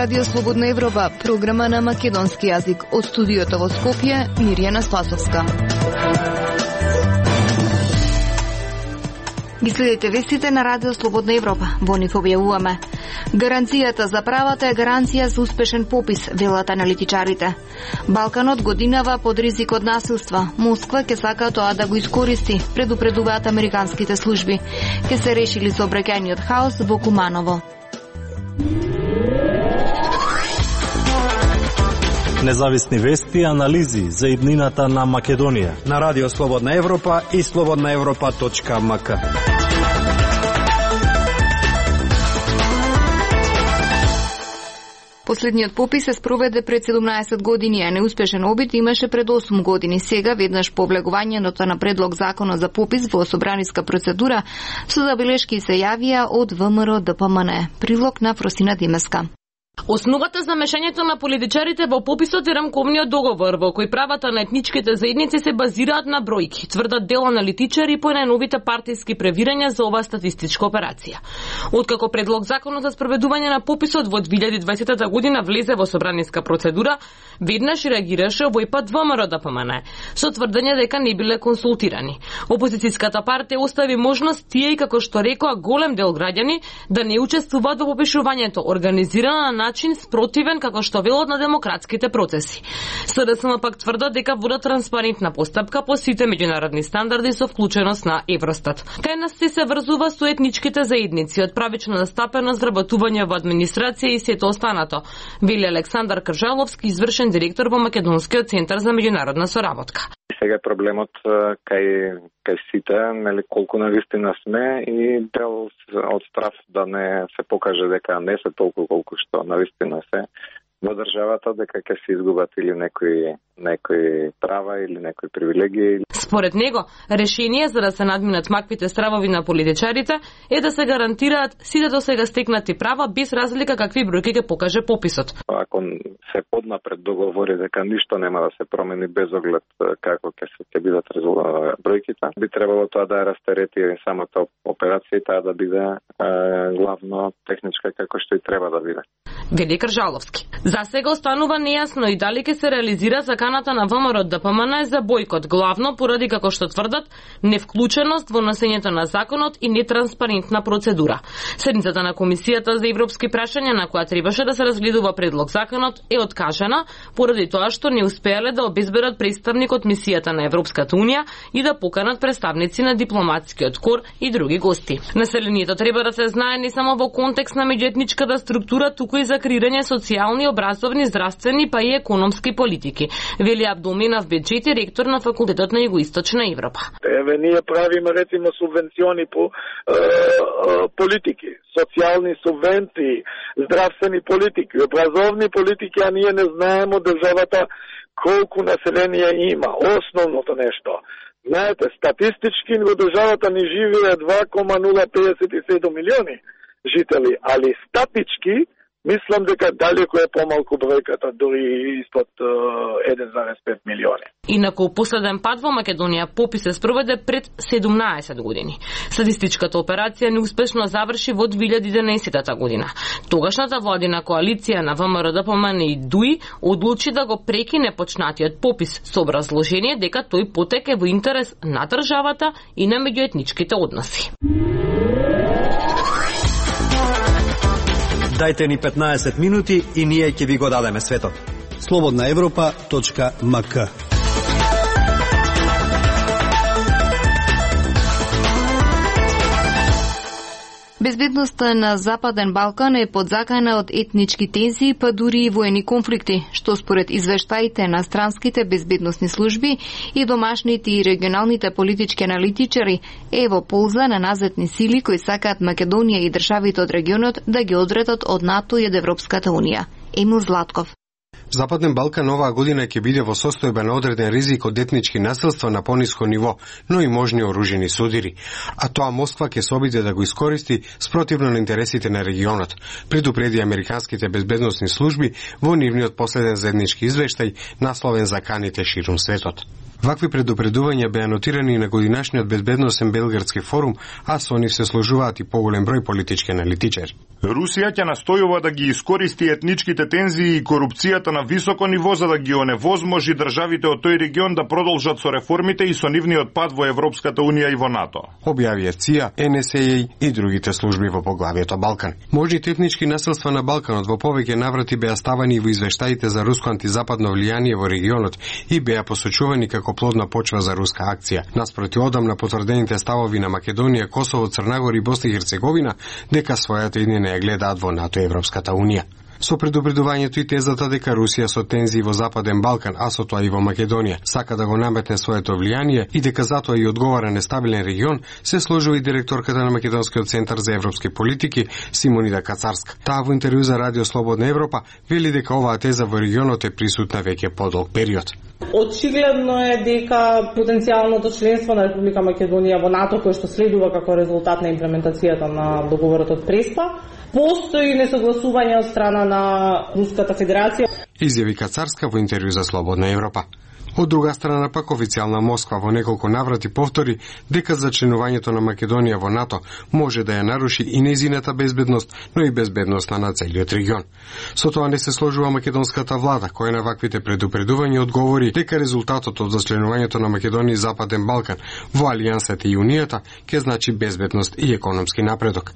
Радио Слободна Европа, програма на македонски јазик. Од студиото во Скопје, Мирјана Спасовска. Ги следите вестите на Радио Слободна Европа. Во нив објавуваме: гаранцијата за правата е гаранција за успешен попис, велат аналитичарите. Балканот годинава под ризик од насилства. Москва ќе сака тоа да го искористи, предупредуваат американските служби. Ќе се решили сообраќајниот хаос во Куманово. Независни вести и анализи за иднината на Македонија на Радио Слободна Европа и slobodnaevropa.mk. Последниот попис се спроведе пред 17 години, а неуспешен обид имаше пред 8 години. Сега, веднаш по влегувањето на предлог законот за попис во собраниска процедура, со забелешки се јавија од ВМРО ДПМН. Прилог на Фросина Димеска. Основата за мешањето на политичарите во пописот е рамковниот договор, во кој правата на етничките заедници се базираат на бројки, тврдат дел аналитичари по најновите партиски превирања за оваа статистичка операција. Откако предлог законот за спроведување на пописот во 2020 година влезе во собраниска процедура, веднаш реагираше овој пат ВМРО ДПМН, со тврдење дека не биле консултирани. Опозицијската партија остави можност тие, како што рекоа голем дел граѓани, да не учествуваат во попишувањето, организирано на начин спротивен како што велат на демократските процеси. СДСМ пак тврдат дека водат транспарентна постапка по сите меѓународни стандарди со вклученост на Евростат. Кај нас се врзува со етничките заедници, од правична настапеност, работување во администрација и сето останато, вели Александар Кржаловски, извршен директор во Македонскиот центар за меѓународна соработка. Сега проблемот кај сите, нели, колку навистина сме и дел од страф да не се покаже дека не се толку колку што навистина се во државата, дека ќе се изгубат или некои права или некои привилегии. Според него, решение за да се надминат маквите стравови на политичарите е да се гарантираат сите до сега стекнати права без разлика какви бројки ќе покаже пописот. Ако се поднапред договори дека ништо нема да се промени без оглед како ќе бидат бројките, би требало тоа да растерети самата операција и таа да биде главно техничка како што и треба да биде. Вели Кржаловски. За сега останува нејасно и дали ќе се реализира заканата на ВМРО ДПМН за бојкот, главно поради, како што тврдат, невклученост во носењето на законот и нетранспарентна процедура. Седницата на Комисијата за европски прашања, на која требаше да се разгледува предлог законот, е откажана поради тоа што не успеале да обезбедат представник од мисијата на Европската унија и да поканат представници на дипломатскиот кор и други гости. Населението треба да се знае не само во контекст на меѓуетничката структура, туку и за креирање социјални, образовни, здравствени па и економски политики, вели Абдулменав Беджети, ректор на факултетот на Југоисточна Европа. Еве ние правиме рецимо субвенциони по политики, социјални субвенции, здравствени политики, образовни политики, а ние не знаеме од државата колку население има. Основното нешто. Знаете, статистички во државата ни живее 2,057 милиони жители, али статички мислам дека далеко е помалку бројката, дури испод 1,5 милиони. Инаку последен пат во Македонија попис се спроведе пред 17 години. Статистичката операција неуспешно заврши во 2011 година. Тогашната владина коалиција на ВМРО ДПМН и ДУИ одлучи да го прекине почнатиот попис со образложение дека тој потек е во интерес на државата и на меѓуетничките односи. Дајте ни 15 минути и ние ќе ви го дадеме светот. slobodnaevropa.mk. Безбедноста на Западен Балкан е подзакана од етнички тензии, па дури и воени конфликти, што според извештаите на странските безбедносни служби и домашните и регионалните политички аналитичари е во полза на назадни сили кои сакаат Македонија и државите од регионот да ги одредат од НАТО и од Европската унија. Емил Златков. Западен Балкан оваа година ќе биде во состојба на одреден ризик од етнички насилства на пониско ниво, но и можни оружени судири. А тоа Москва ќе се обиде да го искористи спротивно на интересите на регионот, предупреди американските безбедносни служби во нивниот последен заеднички извештај насловен за каните ширум светот. Вакви предупредувања беа нотирани на годинашниот безбедносен Белградски форум, а со нив се сложуваат и поголем број политички аналитичари. Русија ќе настојува да ги искористи етничките тензии и корупцијата на високо ниво за да ги оневозможи државите од тој регион да продолжат со реформите и со нивниот пат во Европската унија и во НАТО. Објавија ЦИА, НСА и другите служби во поглавието Балкан. Можните етнички насилства на Балканот во повеќе наврати беа ставани во извештаите за руско антизападно влијание во регионот и беа посочувани како плодна почва за руска акција. Наспроти одамна потврдените ставови на Македонија, Косово, Црнагора и Босна и Херцеговина дека својата иднина ја гледаат во НАТО и Европската унија. Со предупредувањето и тезата дека Русија со тензии во Западен Балкан, а со тоа и во Македонија, сака да го наметне своето влијание и дека затоа и одговара нестабилен регион, се сложува и директорката на Македонскиот центар за европски политики Симонида Кацарска. Таа во интервју за Радио Слободна Европа вели дека оваа теза во регионот е присутна веќе подолг период. Очигледно е дека потенцијалното членство на Република Македонија во НАТО, кој што следува како резултат на имплементацијата на договорот од Преспа, постои несогласување од страна на Руската Федерација. Изјави Кацарска во интервју за Слободна Европа. Од друга страна пак официјална Москва во неколку наврати повтори дека зачленувањето на Македонија во НАТО може да ја наруши и нејзината безбедност, но и безбедноста на целиот регион. Со тоа не се сложува македонската влада, која на ваквите предупредувања одговори дека резултатот од зачленувањето на Македонија и Западен Балкан во Алијансата и Унијата ќе значи безбедност и економски напредок.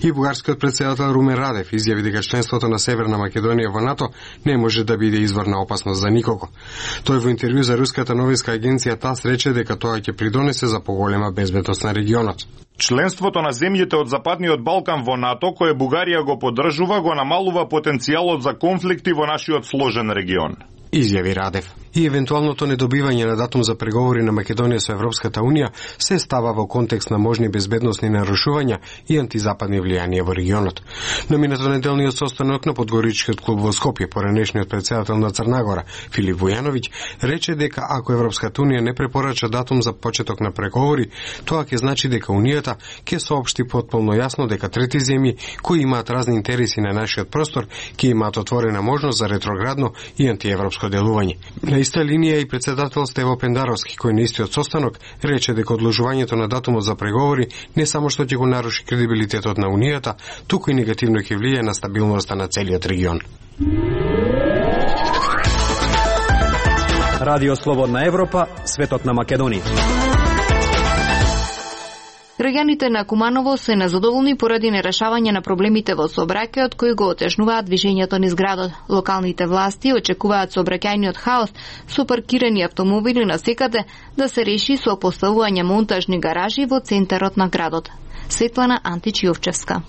И бугарскиот претседател Румен Радев изјави дека членството на Северна Македонија во НАТО не може да биде извор на опасност за никого. Тој во интервју за руската новинска агенција ТАСС рече дека тоа ќе придонесе за поголема безбедност на регионот. Членството на земјите од Западниот Балкан во НАТО, кое Бугарија го поддржува, го намалува потенцијалот за конфликти во нашиот сложен регион. Изјави Радев. И евентуалното недобивање на датум за преговори на Македонија со Европската унија се става во контекст на можни безбедносни нарушувања и антизападни влијанија во регионот. На минато неделниот состанок на Подгоричкиот клуб во Скопје, поранешниот претседател на Црнагора, Филип Војановиќ, рече дека ако Европската унија не препорача датум за почеток на преговори, тоа ќе значи дека унијата ќе соопшти потполно јасно дека трети земји кои имаат разни интереси на нашиот простор ќе имаат отворена можност за ретроградно и антиевропско делување. На иста линија и председател Стево Пендаровски, кој на истиот состанок рече дека одложувањето на датумот за преговори не само што ќе го наруши кредибилитетот на унијата, туку и негативно ќе влијае на стабилноста на целиот регион. Радио Слободна Европа, светот на Македонија. Граѓаните на Куманово се незадоволни поради нерешавање на проблемите во сообраќајот кои го отежнуваат движењето низ градот. Локалните власти очекуваат сообраќајниот хаос со паркирани автомобили насекаде да се реши со поставување монтажни гаражи во центарот на градот. Светлана Антич-Јовчевска.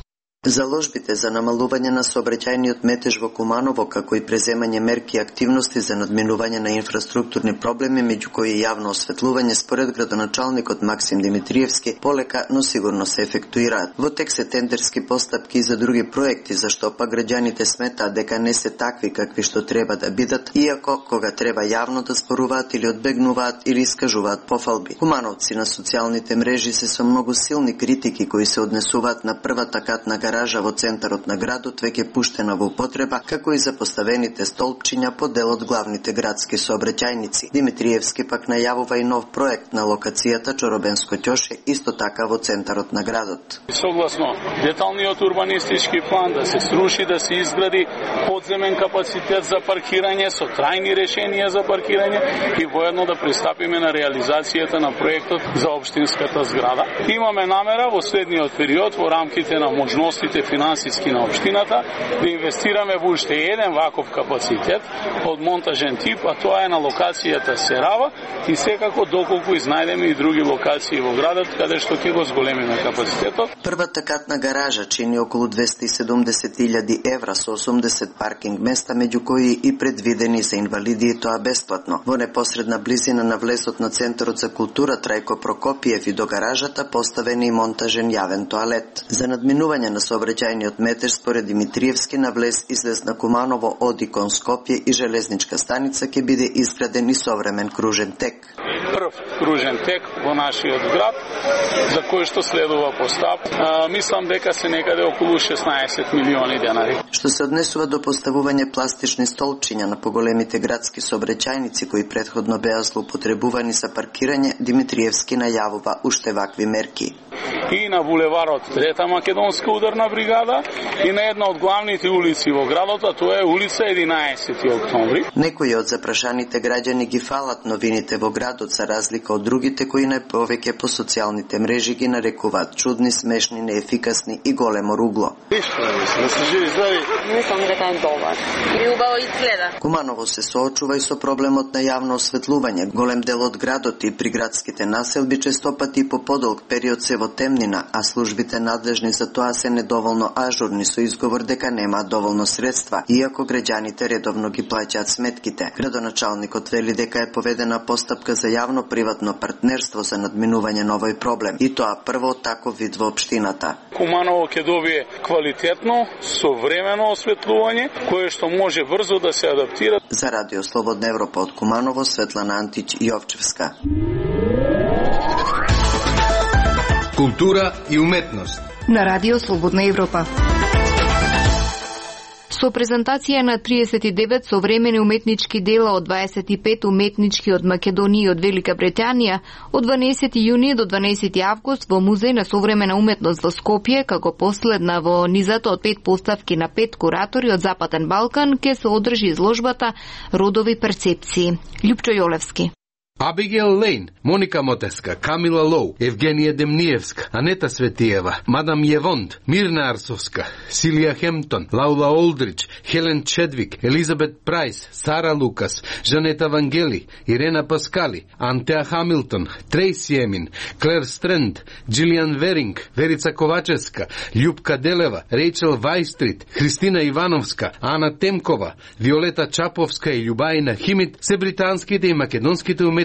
Заложбите за намалување на сообраќајниот метеж во Куманово, како и преземање мерки и активности за надминување на инфраструктурни проблеми, меѓу кои и јавно осветлување, според градоначалникот Максим Димитриевски, полека, но сигурно се ефектуираат. Во тек се тендерски постапки за други проекти, зашто па граѓаните сметаат дека не се такви какви што треба да бидат, иако кога треба јавно да зборуваат или одбегнуваат или искажуваат пофалби. Кумановци на социјалните мрежи се со многу силни критики кои се однесуваат на првата катна гаража во центарот на градот, веќе пуштена во употреба, како и за поставените столпчиња по дел од главните градски сообраќајници. Димитриевски пак најавува и нов проект на локацијата Чоробенско ќоше, исто така во центарот на градот. Согласно деталниот урбанистички план да се сруши, да се изгради подземен капацитет за паркирање со трајни решенија за паркирање и воедно да пристапиме на реализацијата на проектот за општинската зграда. Имаме намера во следниот период во рамките на можностите финансиски на општината да инвестираме во уште еден ваков капацитет од монтажен тип, а тоа е на локацијата Серава и секако доколку изнајдеме и други локации во градот каде што ќе го зголемиме капацитетот. Првата катна гаража чини околу 270.000 евра со 80 паркинг места, меѓу кои и предвидени за инвалиди и тоа бесплатно. Во непосредна близина на влезот на Центарот за култура Трајко Прокопиев и до гаражата поставен и монтажен јавен тоалет. За надминување на сообраќајниот метеж според Димитриевски на влез излез на Куманово оди кон Скопје и железничка станица ќе биде изграден и современ кружен тек. Прв кружен тек во нашиот град, за кој што следува постап, мислам дека се некаде околу 16 милиони денари. Што се однесува до поставување пластични столчиња на поголемите градски сообраќајници кои претходно беа злоупотребувани за паркирање, Димитриевски најавува уште вакви мерки. И на булеварот Трета македонска ударна бригада и на една од главните улици во градот, а тоа е улица 11 октомври. Некои од запрашаните граѓани ги фалат новините во градот за разлика од другите кои најповеќе по социјалните мрежи ги нарекуваат чудни, смешни, неефикасни и големо ругло. Мислам дека е добар. И убаво изгледа. Куманово се соочува и со проблемот на јавно осветлување. Голем дел од градот и приградските населби честопати по подолг период се во темнина, а службите надлежни за тоа се недоволно ажурни со изговор дека нема доволно средства, иако граѓаните редовно ги плаќаат сметките. Градоначалникот вели дека е поведена постапка за јавно-приватно партнерство за надминување на овој проблем, и тоа прво таков вид во општината. Куманово ќе добие квалитетно, современо осветлување, кое што може брзо да се адаптира. За Радио Слободна Европа од Куманово, Светлана Антич Јовчевска. Култура и уметност на Радио Слободна Европа. Со презентација на 39 современи уметнички дела од 25 уметнички од Македонија и од Велика Британија од 12 јуни до 12 август во Музеј на современа уметност во Скопје, како последна во низата од 5 поставки на 5 куратори од Западен Балкан, ќе се одржи изложбата Родови перцепции. Љупчо Јолевски. Абигел Лейн, Моника Мотеска, Камила Лоу, Евгенија Демниевска, Анета Светиева, Мадам Јевонд, Мирна Арсовска, Силија Хемптон, Лаула Олдрич, Хелен Чедвик, Елизабет Прайс, Сара Лукас, Жанета Вангели, Ирена Паскали, Антеа Хамилтон, Трейси Емин, Клер Стренд, Джилијан Веринг, Верица Ковачевска, Љупка Делева, Рейчел Вајстрит, Христина Ивановска, Ана Темкова, Виолета Чаповска и Љубаина Химит се британските и македонските уметници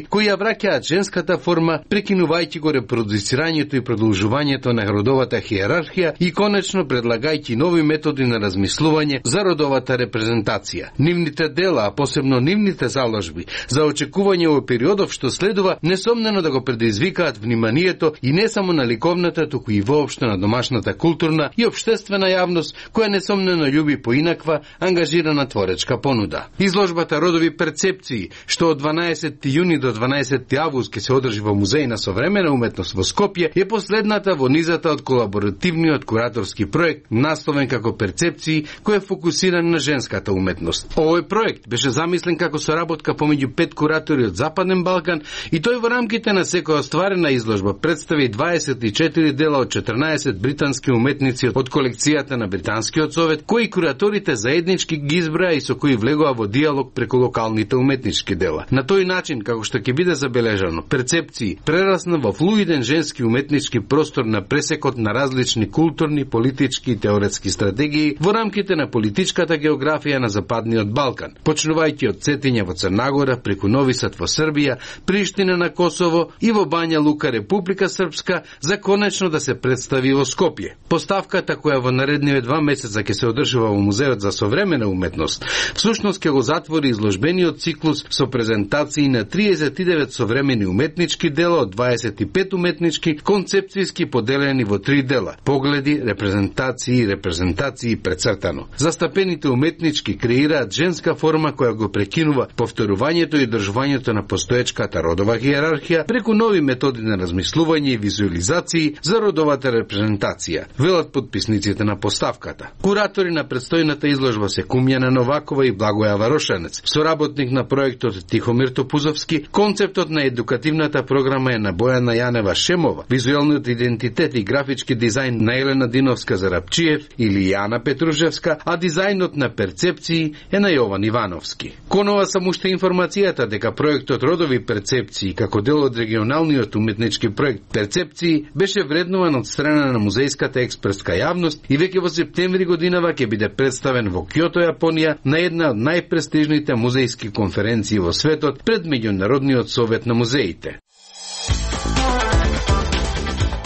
кои ја враќаат женската форма, прекинувајќи го репродуцирањето и продолжувањето на родовата хиерархија и конечно предлагајќи нови методи на размислување за родовата репрезентација. Нивните дела, а посебно нивните заложби за очекување во периодов што следува, несомнено да го предизвикаат вниманието и не само на ликовната, туку и воопшто на домашната културна и општествена јавност, која несомнено љуби поинаква, ангажирана творечка понуда. Изложбата Родови перцепции, што од 12 јуни до 12 август ќе се одржи во Музеј на современа уметност во Скопје, е последната во низата од колаборативниот кураторски проект насловен како Перцепции, кој е фокусиран на женската уметност. Овој проект беше замислен како соработка помеѓу 5 куратори од Западен Балкан и тој во рамките на секоја остварена изложба представи 24 дела од 14 британски уметници од колекцијата на Британскиот совет, кои кураторите заеднички ги изброја и со кои влегува во диалог преку локалните уметнички дела. На тој начин, како што ќе биде забележано, Перцепции прерасна во флуиден женски уметнички простор на пресекот на различни културни, политички и теоретски стратегии во рамките на политичката географија на Западниот Балкан, почнувајќи од Цетиња во Црнагора, преку Нови Сад во Србија, Приштина на Косово и во Бања Лука, Република Српска, за конечно да се представи во Скопје. Поставката која во наредниве 2 месеца ќе се одржува во Музеот за современа уметност, всушност ќе го затвори изложбениот циклус со презентации на 39 современи уметнички дела од 25 уметнички концепцијски поделени во 3 дела: погледи, репрезентации и прецртано. Застапените уметнички креираат женска форма која го прекинува повторувањето и држувањето на постоечката родова хиерархија преку нови методи на размислување и визуализации за родовата репрезентација, велат подписниците на поставката. Куратори на предстојната изложба се Кумјана Новакова и Благоја Варошанец, соработник на проектот Тихомир Топузовски. Концептот на едукативната програма е на Бојана Јанева Шемова, визуелниот идентитет и графички дизајн на Елена Диновска Зарапчиев или Јана Петружевска, а дизајнот на Перцепции е на Јован Ивановски. Конова само уште информацијата дека проектот Родови перцепции како дел од регионалниот уметнички проект Перцепции беше вреднуван од страна на музејската експертска јавност и веќе во септември годинава ќе биде представен во Кјото, Јапонија, на една од најпрестижните музејски конференции во светот пред Меѓународниот совет на музеите.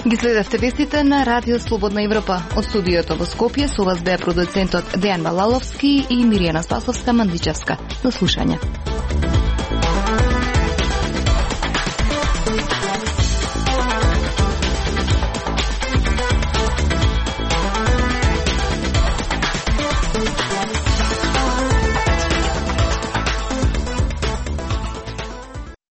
Ги следевте вестите на Радио Слободна Европа. Од студиото во Скопје со вас беа продуцентот Дејан Балаловски и Миријана Спасовска-Мандичевска. До слушање.